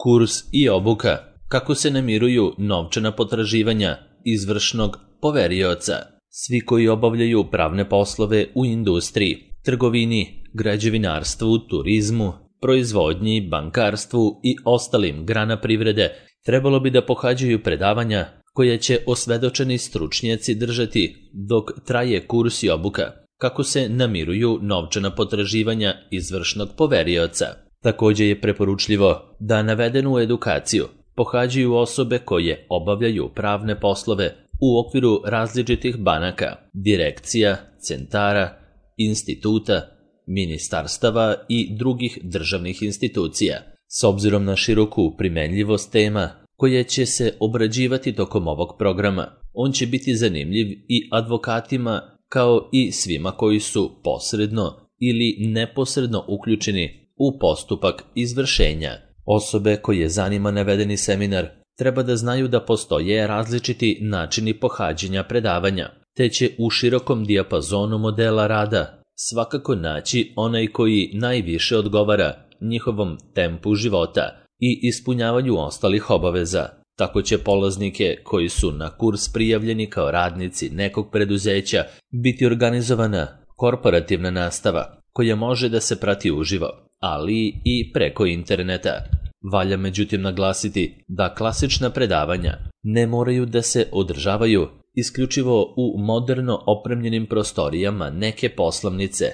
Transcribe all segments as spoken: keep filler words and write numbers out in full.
Kurs i obuka. Kako se namiruju novčana potraživanja izvršnog poverioca. Svi koji obavljaju pravne poslove u industriji, trgovini, građevinarstvu, turizmu, proizvodnji, bankarstvu i ostalim grana privrede trebalo bi da pohađaju predavanja koje će osvedočeni stručnjaci držati dok traje kurs i obuka. Kako se namiruju novčana potraživanja izvršnog poverioca. Također je preporučljivo da navedenu edukaciju pohađaju osobe koje obavljaju pravne poslove u okviru različitih banaka, direkcija, centara, instituta, ministarstava i drugih državnih institucija. S obzirom na široku primenljivost tema koje će se obrađivati tokom ovog programa, on će biti zanimljiv i advokatima kao i svima koji su posredno ili neposredno uključeni u postupak izvršenja. Osobe koje zanima navedeni seminar treba da znaju da postoje različiti načini pohađanja predavanja, te će u širokom dijapazonu modela rada svakako naći onaj koji najviše odgovara njihovom tempu života i ispunjavanju ostalih obaveza. Tako će polaznike koji su na kurs prijavljeni kao radnici nekog preduzeća biti organizovana korporativna nastava koja može da se prati uživo, ali i preko interneta. Valja međutim naglasiti da klasična predavanja ne moraju da se održavaju isključivo u moderno opremljenim prostorijama neke poslovnice,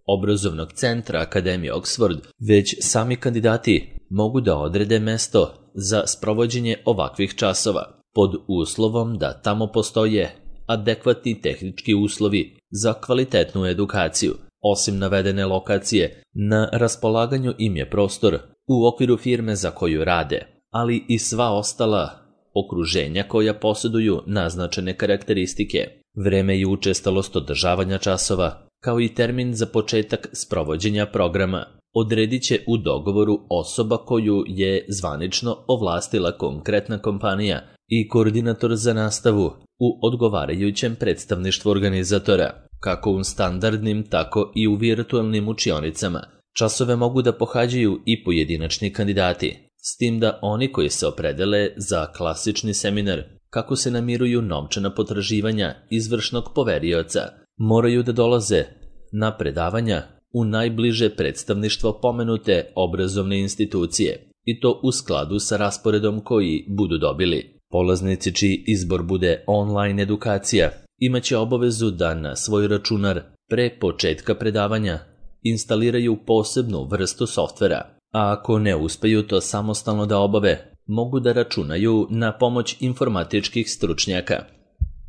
obrazovnog centra Akademije Oxford, već sami kandidati mogu da odrede mesto za sprovođenje ovakvih časova, pod uslovom da tamo postoje adekvatni tehnički uslovi za kvalitetnu edukaciju. Osim navedene lokacije, na raspolaganju im je prostor u okviru firme za koju rade, ali i sva ostala okruženja koja posjeduju naznačene karakteristike. Vreme i učestalost održavanja časova, kao i termin za početak sprovođenja programa, odredit će u dogovoru osoba koju je zvanično ovlastila konkretna kompanija i koordinator za nastavu u odgovarajućem predstavništvu organizatora, kako u standardnim, tako i u virtualnim učionicama. Časove mogu da pohađaju i pojedinačni kandidati, s tim da oni koji se opredele za klasični seminar kako se namiruju novčana potraživanja izvršnog poverioca, moraju da dolaze na predavanja u najbliže predstavništvo pomenute obrazovne institucije, i to u skladu sa rasporedom koji budu dobili. Polaznici čiji izbor bude online edukacija imaće obavezu da na svoj računar pre početka predavanja instaliraju posebnu vrstu softvera, a ako ne uspeju to samostalno da obave, mogu da računaju na pomoć informatičkih stručnjaka.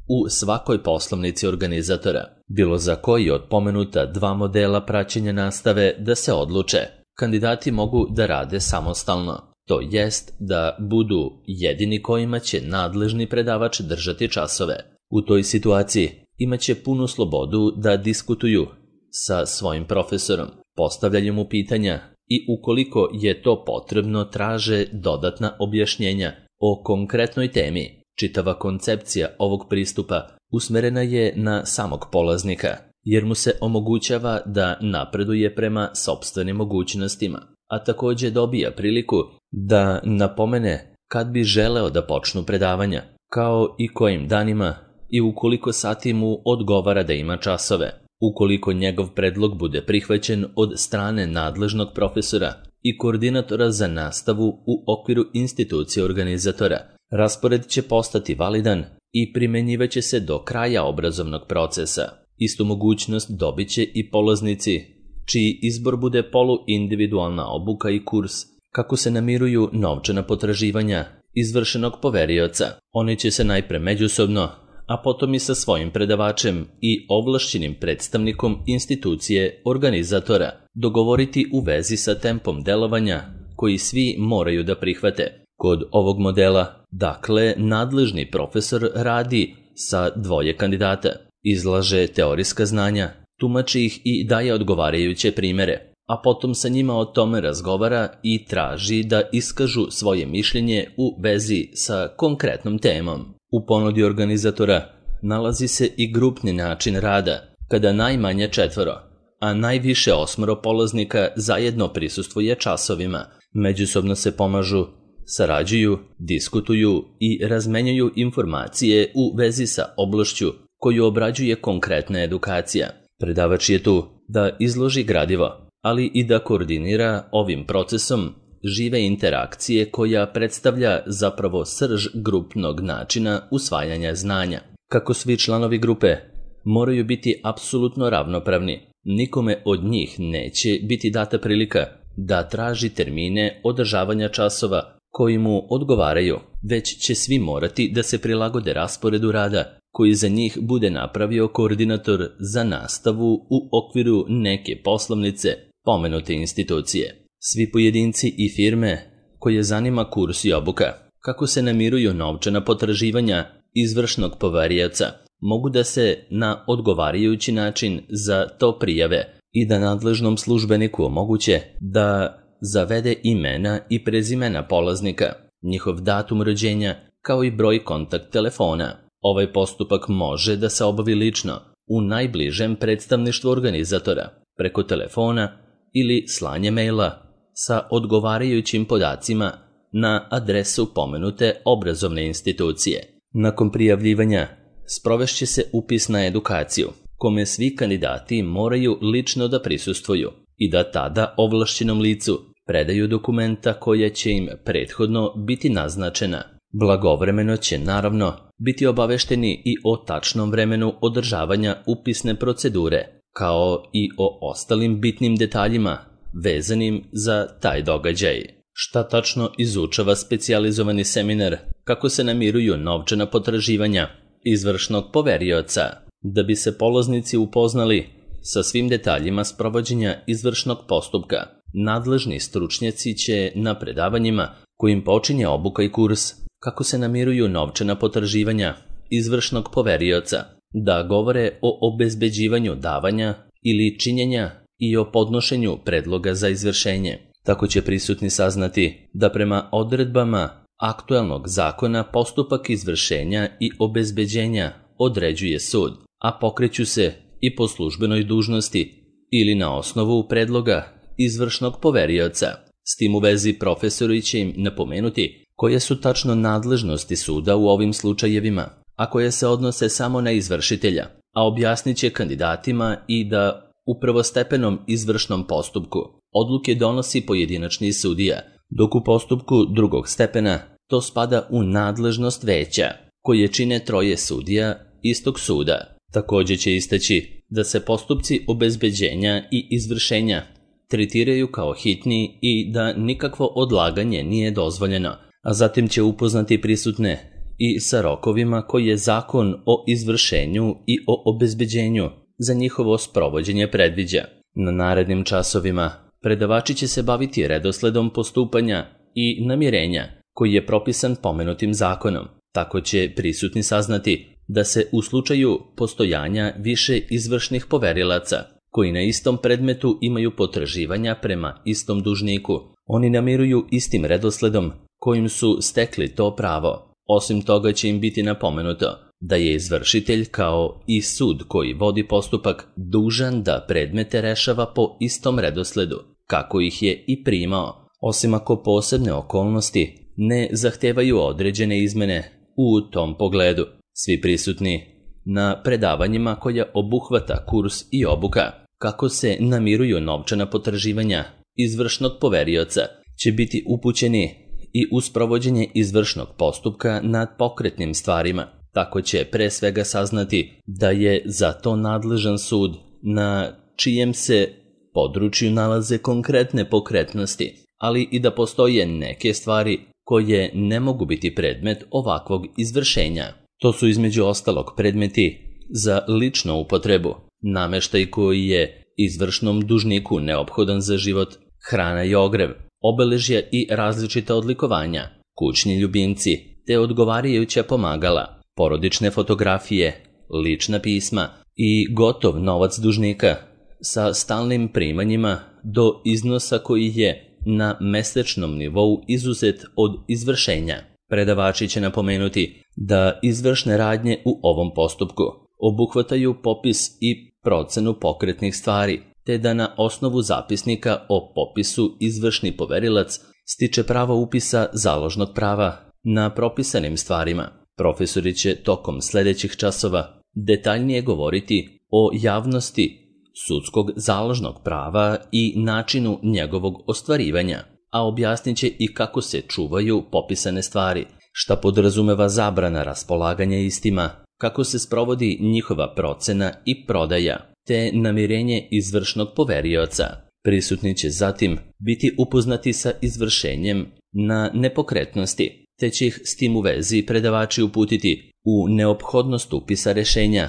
U svakoj poslovnici organizatora, bilo za koji od pomenuta dva modela praćenja nastave da se odluče, kandidati mogu da rade samostalno, to jest da budu jedini kojima će nadležni predavač držati časove. U toj situaciji imaće punu slobodu da diskutuju sa svojim profesorom, postavljaju mu pitanja i ukoliko je to potrebno traže dodatna objašnjenja o konkretnoj temi. Čitava koncepcija ovog pristupa usmerena je na samog polaznika, jer mu se omogućava da napreduje prema sopstvenim mogućnostima, a također dobija priliku da napomene kad bi želeo da počnu predavanja, kao i kojim danima i ukoliko sati mu odgovara da ima časove. Ukoliko njegov predlog bude prihvaćen od strane nadležnog profesora i koordinatora za nastavu u okviru institucije organizatora, raspored će postati validan i primjenjivaće se do kraja obrazovnog procesa. Istu mogućnost dobit će i polaznici čiji izbor bude poluindividualna obuka i kurs kako se namiruju novčana potraživanja izvršenog poverioca. Oni će se najpre međusobno, a potom i sa svojim predavačem i ovlašćenim predstavnikom institucije organizatora dogovoriti u vezi sa tempom delovanja koji svi moraju da prihvate. Kod ovog modela, dakle, nadležni profesor radi sa dvoje kandidata, izlaže teorijska znanja, tumači ih i daje odgovarajuće primere, a potom sa njima o tome razgovara i traži da iskažu svoje mišljenje u vezi sa konkretnom temom. U ponudi organizatora nalazi se i grupni način rada, kada najmanje četvoro, a najviše osmoro polaznika zajedno prisustvuje časovima, međusobno se pomažu sarađuju, diskutuju i razmenjuju informacije u vezi sa oblašću koju obrađuje konkretna edukacija. Predavač je tu da izloži gradivo, ali i da koordinira ovim procesom žive interakcije koja predstavlja zapravo srž grupnog načina usvajanja znanja. Kako svi članovi grupe moraju biti apsolutno ravnopravni, nikome od njih neće biti data prilika da traži termine održavanja časova koji mu odgovaraju, već će svi morati da se prilagode rasporedu rada koji za njih bude napravio koordinator za nastavu u okviru neke poslovnice pomenute institucije. Svi pojedinci i firme koje zanima kurs i obuka kako se namiruju novčana potraživanja izvršnog poverioca mogu da se na odgovarajući način za to prijave i da nadležnom službeniku omoguće da zavede imena i prezimena polaznika, njihov datum rođenja kao i broj kontakt telefona. Ovaj postupak može da se obavi lično u najbližem predstavništvu organizatora, preko telefona ili slanje maila sa odgovarajućim podacima na adresu pomenute obrazovne institucije. Nakon prijavljivanja sprovešće se upis na edukaciju, kome svi kandidati moraju lično da prisustvuju i da tada ovlašćenom licu predaju dokumenta koja će im prethodno biti naznačena. Blagovremeno će naravno biti obavešteni i o tačnom vremenu održavanja upisne procedure, kao i o ostalim bitnim detaljima vezanim za taj događaj. Šta tačno izučava specijalizovani seminar kako se namiruju novčana potraživanja izvršnog poverioca? Da bi se polaznici upoznali sa svim detaljima sprovođenja izvršnog postupka, nadležni stručnjaci će na predavanjima kojim počinje obuka i kurs kako se namiruju novčana potraživanja izvršnog poverioca da govore o obezbeđivanju davanja ili činjenja i o podnošenju predloga za izvršenje. Tako će prisutni saznati da prema odredbama aktuelnog zakona postupak izvršenja i obezbeđenja određuje sud, a pokreću se i po službenoj dužnosti ili na osnovu predloga izvršnog poverioca. S tim u vezi profesori će im napomenuti koje su tačno nadležnosti suda u ovim slučajevima, a koje se odnose samo na izvršitelja, a objasnit će kandidatima i da u prvostepenom izvršnom postupku odluke donosi pojedinačni sudija, dok u postupku drugog stepena to spada u nadležnost veća, koje čine troje sudija istog suda. Također će istaći da se postupci obezbeđenja i izvršenja tretiraju kao hitni i da nikakvo odlaganje nije dozvoljeno, a zatim će upoznati prisutne i sa rokovima koje Zakon o izvršenju i o obezbeđenju za njihovo sprovođenje predviđa. Na narednim časovima predavači će se baviti redosledom postupanja i namirenja koji je propisan pomenutim zakonom. Tako će prisutni saznati da se u slučaju postojanja više izvršnih poverilaca koji na istom predmetu imaju potraživanja prema istom dužniku, oni namiruju istim redosledom kojim su stekli to pravo. Osim toga će im biti napomenuto da je izvršitelj kao i sud koji vodi postupak dužan da predmete rešava po istom redosledu kako ih je i primao, osim ako posebne okolnosti ne zahtevaju određene izmene u tom pogledu. Svi prisutni na predavanjima koja obuhvata kurs i obuka kako se namiruju novčana potraživanja izvršnog poverioca će biti upućeni i u sprovođenje izvršnog postupka nad pokretnim stvarima. Tako će pre svega saznati da je za to nadležan sud na čijem se području nalaze konkretne pokretnosti, ali i da postoje neke stvari koje ne mogu biti predmet ovakvog izvršenja. To su između ostalog predmeti za ličnu upotrebu, nameštaj koji je izvršnom dužniku neophodan za život, hrana i ogrev, obeležja i različita odlikovanja, kućni ljubimci te odgovarajuća pomagala, porodične fotografije, lična pisma i gotov novac dužnika sa stalnim primanjima do iznosa koji je na mesečnom nivou izuzet od izvršenja. Predavači će napomenuti da izvršne radnje u ovom postupku obuhvataju popis i procenu pokretnih stvari, te da na osnovu zapisnika o popisu izvršni poverilac stiče pravo upisa založnog prava na propisanim stvarima. Profesori će tokom sljedećih časova detaljnije govoriti o javnosti sudskog založnog prava i načinu njegovog ostvarivanja, a objasnit će i kako se čuvaju popisane stvari, šta podrazumeva zabrana raspolaganja istima, kako se sprovodi njihova procena i prodaja, te namirenje izvršnog poverioca. Prisutni će zatim biti upoznati sa izvršenjem na nepokretnosti, te će ih s tim u vezi predavači uputiti u neophodnost upisa rešenja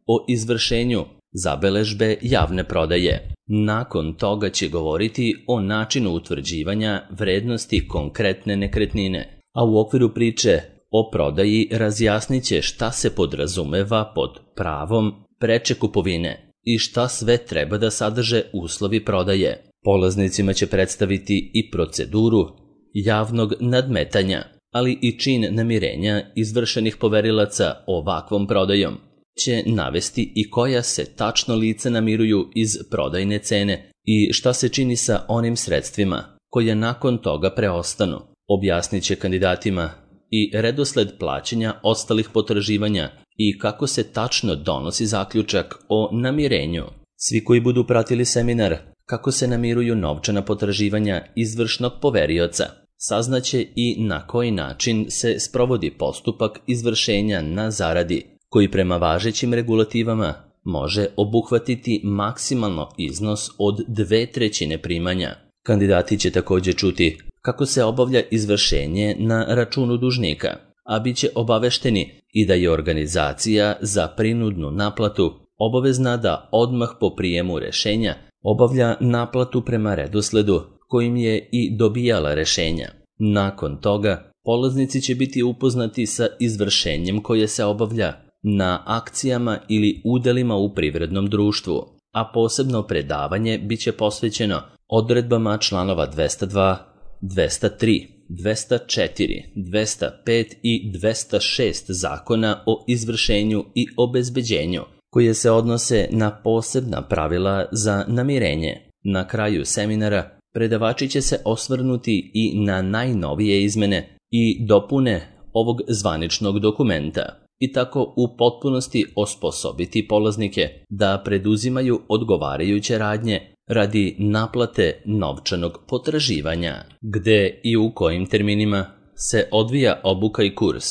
o izvršenju zabeležbe javne prodaje. Nakon toga će govoriti o načinu utvrđivanja vrednosti konkretne nekretnine, a u okviru priče o prodaji razjasnit će šta se podrazumeva pod pravom preče kupovine i šta sve treba da sadrže uslovi prodaje. Polaznicima će predstaviti i proceduru javnog nadmetanja, ali i čin namirenja izvršenih poverilaca ovakvom prodajom. Će navesti i koja se tačno lica namiruju iz prodajne cene i šta se čini sa onim sredstvima koje nakon toga preostanu. Objasnit će kandidatima i redosled plaćanja ostalih potraživanja i kako se tačno donosi zaključak o namirenju. Svi koji budu pratili seminar kako se namiruju novčana potraživanja izvršnog poverioca saznaće i na koji način se sprovodi postupak izvršenja na zaradi, koji prema važećim regulativama može obuhvatiti maksimalno iznos od dve trećine primanja. Kandidati će također čuti kako se obavlja izvršenje na računu dužnika, a bit će obavešteni i da je organizacija za prinudnu naplatu obavezna da odmah po prijemu rešenja obavlja naplatu prema redosledu kojim je i dobijala rešenja. Nakon toga, polaznici će biti upoznati sa izvršenjem koje se obavlja na akcijama ili udelima u privrednom društvu, a posebno predavanje bit će posvećeno odredbama članova dvesta dva, dvesta tri, dvesta četiri, dvesta pet i dvesta šest Zakona o izvršenju i obezbeđenju, koje se odnose na posebna pravila za namirenje. Na kraju seminara predavači će se osvrnuti i na najnovije izmene i dopune ovog zvaničnog dokumenta i tako u potpunosti osposobiti polaznike da preduzimaju odgovarajuće radnje radi naplate novčanog potraživanja. Gde i u kojim terminima se odvija obuka i kurs,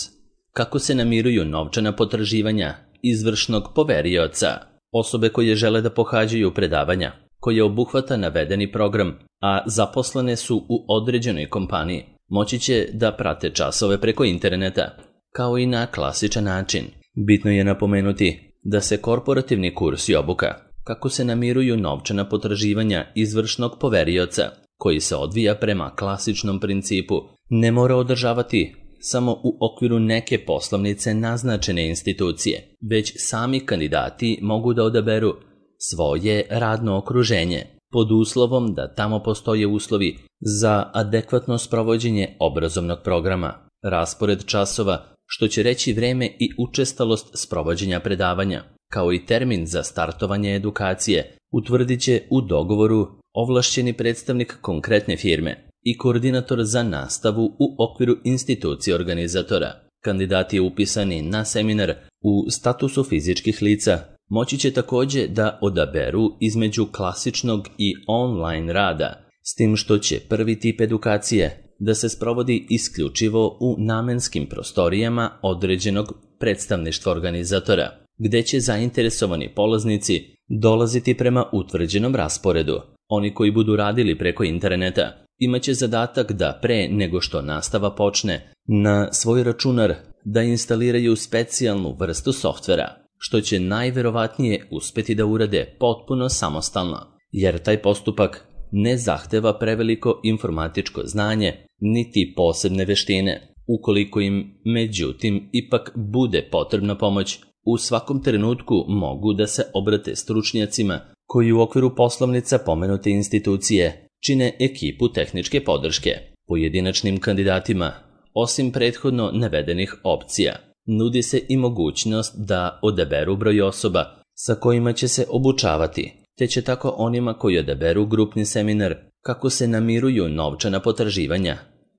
kako se namiruju novčana potraživanja izvršnog poverioca. Osobe koje žele da pohađaju predavanja koje obuhvata navedeni program, a zaposlene su u određenoj kompaniji, moći će da prate časove preko interneta, kao i na klasičan način. Bitno je napomenuti da se korporativni kurs i obuka kako se namiruju novčana potraživanja izvršnog poverioca, koji se odvija prema klasičnom principu, ne mora održavati samo u okviru neke poslovnice naznačene institucije, već sami kandidati mogu da odaberu svoje radno okruženje, pod uslovom da tamo postoje uslovi za adekvatno sprovođenje obrazovnog programa, raspored časova, što će reći vreme i učestalost sprovođenja predavanja, kao i termin za startovanje edukacije, utvrdit će u dogovoru ovlašćeni predstavnik konkretne firme i koordinator za nastavu u okviru institucije organizatora. Kandidati upisani na seminar u statusu fizičkih lica moći će također da odaberu između klasičnog i online rada, s tim što će prvi tip edukacije da se sprovodi isključivo u namenskim prostorijama određenog predstavništva organizatora, gde će zainteresovani polaznici dolaziti prema utvrđenom rasporedu. Oni koji budu radili preko interneta imaće zadatak da pre nego što nastava počne na svoj računar da instaliraju specijalnu vrstu softvera, što će najverovatnije uspeti da urade potpuno samostalno, jer taj postupak ne zahteva preveliko informatičko znanje niti posebne veštine. Ukoliko im, međutim, ipak bude potrebna pomoć, u svakom trenutku mogu da se obrate stručnjacima koji u okviru poslovnica pomenute institucije čine ekipu tehničke podrške. Pojedinačnim kandidatima, osim prethodno navedenih opcija, nudi se i mogućnost da odaberu broj osoba sa kojima će se obučavati, te će tako onima koji odaberu grupni seminar kako se namiruju novčana potraživanja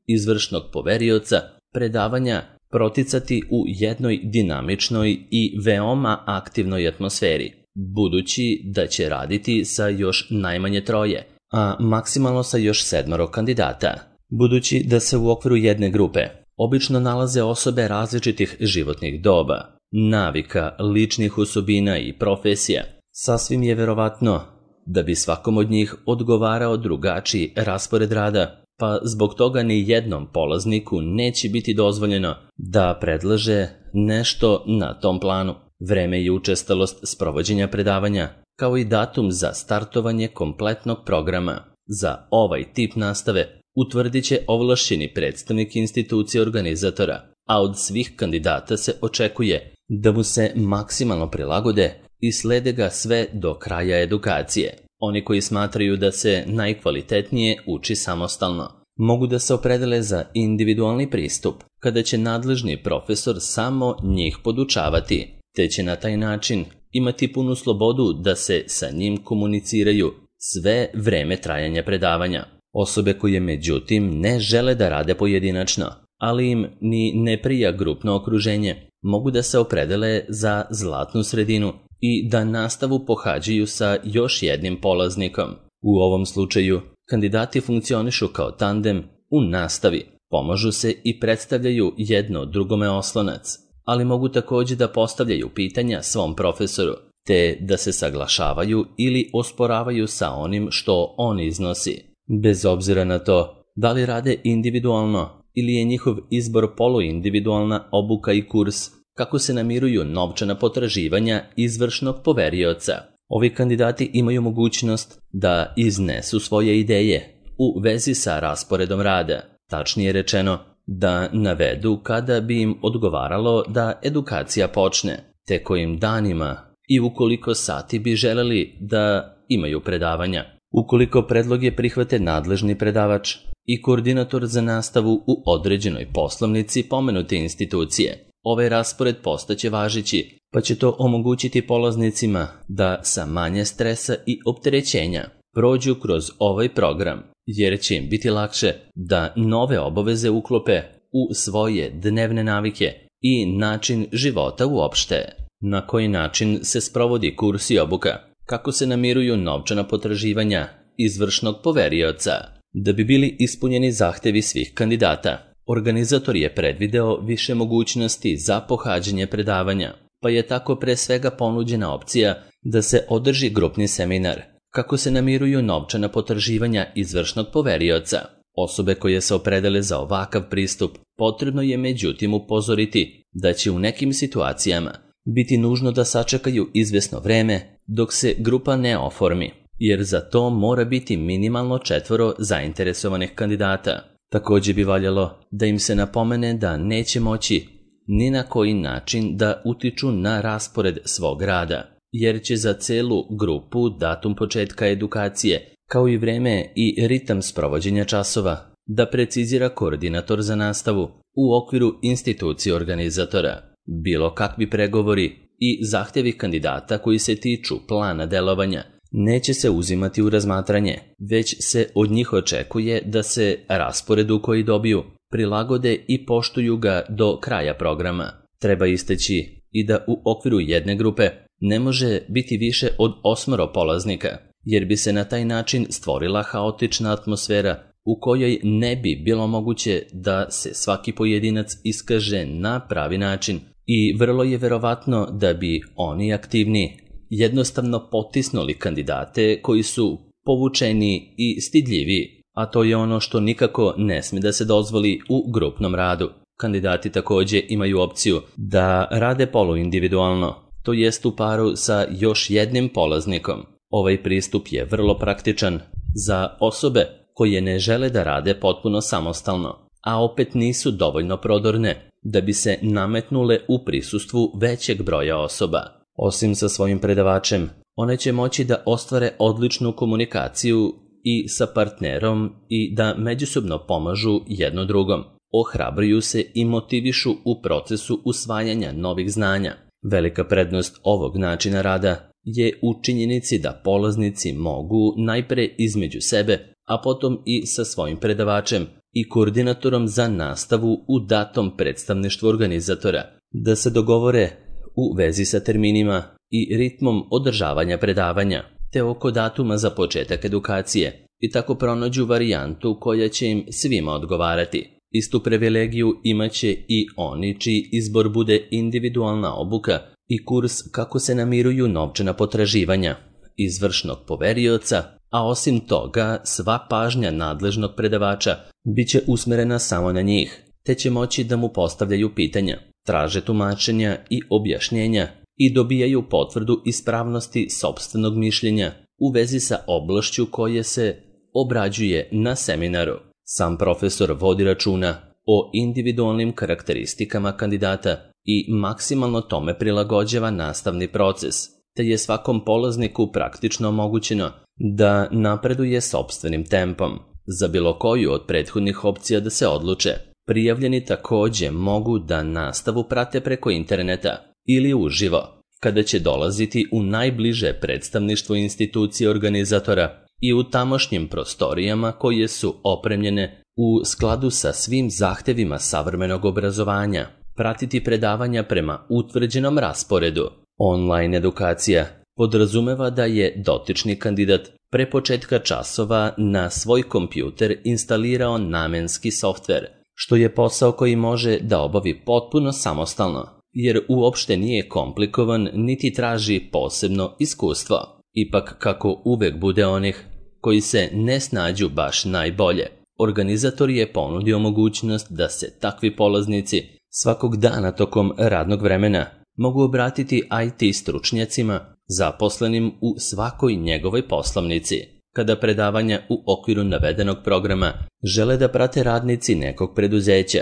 izvršnog poverioca, predavanja proticati u jednoj dinamičnoj i veoma aktivnoj atmosferi, budući da će raditi sa još najmanje troje, a maksimalno sa još sedmoro kandidata. Budući da se u okviru jedne grupe obično nalaze osobe različitih životnih doba, navika, ličnih osobina i profesija, sasvim je verovatno da bi svakom od njih odgovarao drugačiji raspored rada, pa zbog toga ni jednom polazniku neće biti dozvoljeno da predlaže nešto na tom planu. Vreme i učestalost sprovođenja predavanja, kao i datum za startovanje kompletnog programa za ovaj tip nastave utvrdit će ovlašćeni predstavnik institucije organizatora, a od svih kandidata se očekuje da mu se maksimalno prilagode i slede ga sve do kraja edukacije. Oni koji smatraju da se najkvalitetnije uči samostalno mogu da se opredele za individualni pristup, kada će nadležni profesor samo njih podučavati, te će na taj način imati punu slobodu da se sa njim komuniciraju sve vreme trajanja predavanja. Osobe koje međutim ne žele da rade pojedinačno, ali im ni ne prija grupno okruženje, mogu da se opredele za zlatnu sredinu i da nastavu pohađaju sa još jednim polaznikom. U ovom slučaju, kandidati funkcionišu kao tandem u nastavi, pomažu se i predstavljaju jedno drugome oslonac, ali mogu također da postavljaju pitanja svom profesoru, te da se saglašavaju ili osporavaju sa onim što on iznosi. Bez obzira na to da li rade individualno ili je njihov izbor poluindividualna obuka i kurs, kako se namiruju novčana potraživanja izvršnog poverioca. Ovi kandidati imaju mogućnost da iznesu svoje ideje u vezi sa rasporedom rada, tačnije rečeno da navedu kada bi im odgovaralo da edukacija počne, te kojim danima i ukoliko sati bi želeli da imaju predavanja. Ukoliko predloge prihvate nadležni predavač i koordinator za nastavu u određenoj poslovnici pomenute institucije, ovaj raspored postaće važeći, pa će to omogućiti polaznicima da sa manje stresa i opterećenja prođu kroz ovaj program, jer će im biti lakše da nove obaveze uklope u svoje dnevne navike i način života uopšte. Na koji način se sprovodi kurs i obuka? Kako se namiruju novčana potraživanja izvršnog poverioca? Da bi bili ispunjeni zahtevi svih kandidata, organizator je predvideo više mogućnosti za pohađanje predavanja, pa je tako pre svega ponuđena opcija da se održi grupni seminar kako se namiruju novčana potraživanja izvršnog poverioca. Osobe koje se opredele za ovakav pristup potrebno je međutim upozoriti da će u nekim situacijama biti nužno da sačekaju izvesno vreme dok se grupa ne oformi, jer za to mora biti minimalno četvoro zainteresovanih kandidata. Također bi valjalo da im se napomene da neće moći ni na koji način da utiču na raspored svog rada, jer će za celu grupu datum početka edukacije, kao i vreme i ritam sprovođenja časova, da precizira koordinator za nastavu u okviru institucije organizatora. Bilo kakvi pregovori i zahtjevi kandidata koji se tiču plana delovanja neće se uzimati u razmatranje, već se od njih očekuje da se rasporedu koji dobiju prilagode i poštuju ga do kraja programa. Treba istaći i da u okviru jedne grupe ne može biti više od osmoro polaznika, jer bi se na taj način stvorila haotična atmosfera u kojoj ne bi bilo moguće da se svaki pojedinac iskaže na pravi način i vrlo je verovatno da bi oni aktivni jednostavno potisnuli kandidate koji su povučeni i stidljivi, a to je ono što nikako ne smije da se dozvoli u grupnom radu. Kandidati također imaju opciju da rade poluindividualno, to jest u paru sa još jednim polaznikom. Ovaj pristup je vrlo praktičan za osobe koje ne žele da rade potpuno samostalno, a opet nisu dovoljno prodorne da bi se nametnule u prisustvu većeg broja osoba. Osim sa svojim predavačem, one će moći da ostvare odličnu komunikaciju i sa partnerom i da međusobno pomažu jedno drugom. Ohrabruju se i motivišu u procesu usvajanja novih znanja. Velika prednost ovog načina rada je u činjenici da polaznici mogu najpre između sebe a potom i sa svojim predavačem i koordinatorom za nastavu u datom predstavništvu organizatora, da se dogovore u vezi sa terminima i ritmom održavanja predavanja, te oko datuma za početak edukacije i tako pronađu varijantu koja će im svima odgovarati. Istu privilegiju imaće i oni čiji izbor bude individualna obuka i kurs kako se namiruju novčana potraživanja izvršnog poverioca, a osim toga sva pažnja nadležnog predavača bit će usmerena samo na njih, te će moći da mu postavljaju pitanja, traže tumačenja i objašnjenja i dobijaju potvrdu ispravnosti sopstvenog mišljenja u vezi sa oblašću koje se obrađuje na seminaru. Sam profesor vodi računa o individualnim karakteristikama kandidata i maksimalno tome prilagođava nastavni proces, te je svakom polazniku praktično omogućeno da napreduje sopstvenim tempom. Za bilo koju od prethodnih opcija da se odluče, prijavljeni takođe mogu da nastavu prate preko interneta ili uživo, kada će dolaziti u najbliže predstavništvo institucije organizatora i u tamošnjim prostorijama koje su opremljene u skladu sa svim zahtevima savremenog obrazovanja, pratiti predavanja prema utvrđenom rasporedu. Online edukacija podrazumeva da je dotični kandidat pre početka časova na svoj kompjuter instalirao namenski softver, što je posao koji može da obavi potpuno samostalno, jer uopšte nije komplikovan niti traži posebno iskustvo. Ipak, kako uvek bude onih koji se ne snađu baš najbolje, organizator je ponudio mogućnost da se takvi polaznici svakog dana tokom radnog vremena mogu obratiti I T stručnjacima zaposlenim u svakoj njegovoj poslovnici. Kada predavanja u okviru navedenog programa žele da prate radnici nekog preduzeća,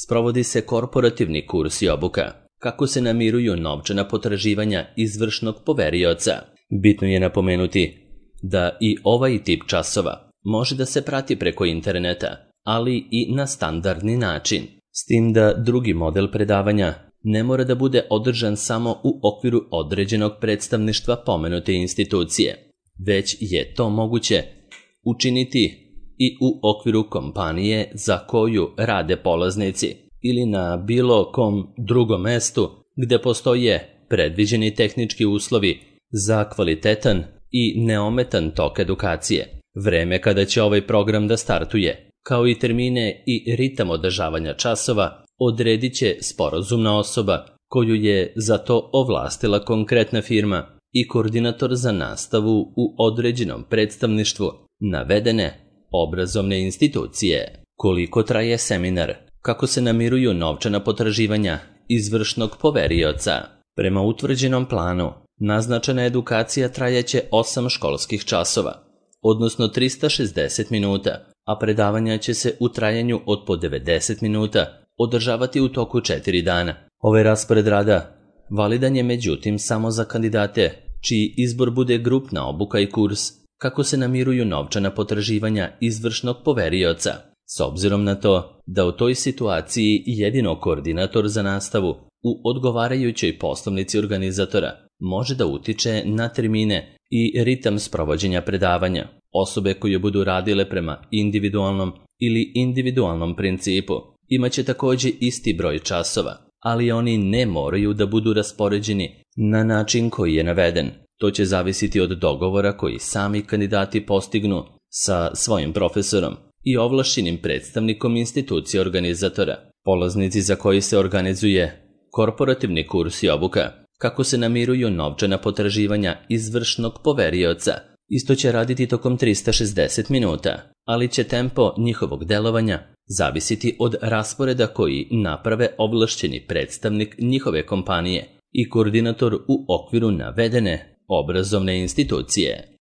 sprovodi se korporativni kurs i obuka, kako se namiruju novčana potraživanja izvršnog poverioca. Bitno je napomenuti da i ovaj tip časova može da se prati preko interneta, ali i na standardni način, s tim da drugi model predavanja ne mora da bude održan samo u okviru određenog predstavništva pomenute institucije, već je to moguće učiniti i u okviru kompanije za koju rade polaznici ili na bilo kom drugom mestu gde postoje predviđeni tehnički uslovi za kvalitetan i neometan tok edukacije. Vreme kada će ovaj program da startuje, kao i termine i ritam održavanja časova, odredit će sporazumna osoba koju je za to ovlastila konkretna firma i koordinator za nastavu u određenom predstavništvu navedene obrazovne institucije. Koliko traje seminar? Kako se namiruju novčana potraživanja izvršnog poverioca? Prema utvrđenom planu, naznačena edukacija trajaće osam školskih časova, odnosno trista šezdeset minuta, a predavanja će se u trajanju od po devedeset minuta održavati u toku četiri dana. Ovaj raspored rada validan je međutim samo za kandidate čiji izbor bude grupna obuka i kurs kako se namiruju novčana potraživanja izvršnog poverioca, s obzirom na to da u toj situaciji jedino koordinator za nastavu u odgovarajućoj poslovnici organizatora može da utiče na termine i ritam sprovođenja predavanja. Osobe koje budu radile prema individualnom ili individualnom principu imaće takođe isti broj časova, ali oni ne moraju da budu raspoređeni na način koji je naveden. To će zavisiti od dogovora koji sami kandidati postignu sa svojim profesorom i ovlašćenim predstavnikom institucije organizatora. Polaznici za koji se organizuje korporativni kurs i obuka, kako se namiruju novčana potraživanja izvršnog poverioca, isto će raditi tokom trista šezdeset minuta, ali će tempo njihovog delovanja zavisiti od rasporeda koji naprave ovlašćeni predstavnik njihove kompanije i koordinator u okviru navedene obrazovne institucije.